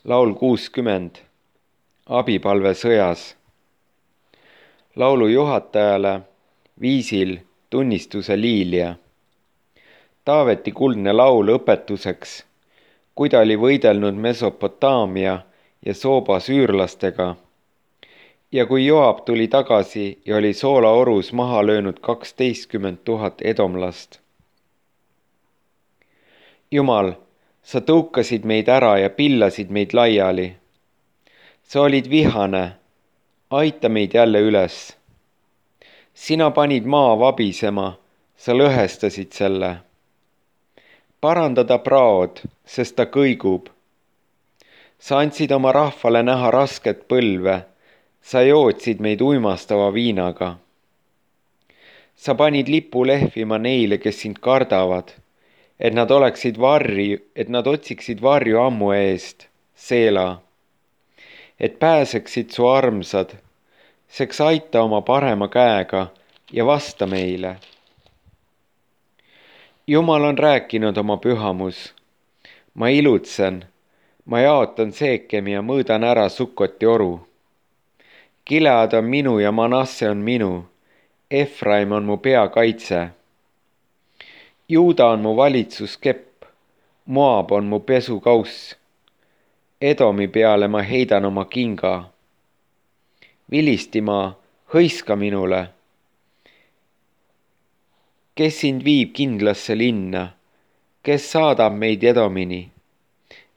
Laul 60. Abipalve sõjas. Laulu juhatajale viisil tunnistuse liilja. Taaveti kuldne laul õpetuseks, kui ta oli võidelnud Mesopotaamia ja Sooba süürlastega ja kui Joab tuli tagasi ja oli soolaorus maha löönud 12 000 edomlast. Jumal, sa tõukasid meid ära ja pillasid meid laiali. Sa olid vihane, aita meid jälle üles. Sina panid maa vabisema, sa lõhestasid selle. Paranda ta praod, sest ta kõigub. Sa andsid oma rahvale näha rasket põlve, sa jootsid meid uimastava viinaga. Sa panid lipu lehvima neile, kes sind kardavad, et nad otsiksid varju ammu eest, Seela. Et pääseksid su armsad, seks aita oma parema käega ja vasta meile. Jumal on rääkinud oma pühamus. Ma ilutsen, ma jaotan Seekemi ja mõõdan ära Sukkoti oru. Gilead on minu ja Manasse on minu, Efraim on mu peakaitse. Juuda on mu valitsuskepp, Moab on mu pesukauss. Edomi peale ma heidan oma kinga. Vilistimaa, hõiska minule. Kes sind viib kindlasse linna, kes saadab meid Edomini?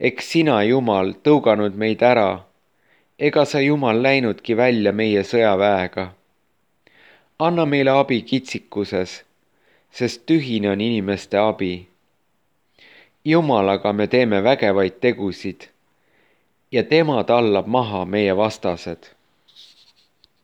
Eks sina, Jumal, tõuganud meid ära, ega sa, Jumal, läinudki välja meie sõjaväega. Anna meile abi kitsikuses, sest tühine on inimeste abi. Jumalaga me teeme vägevaid tegusid ja tema tallab maha meie vastased.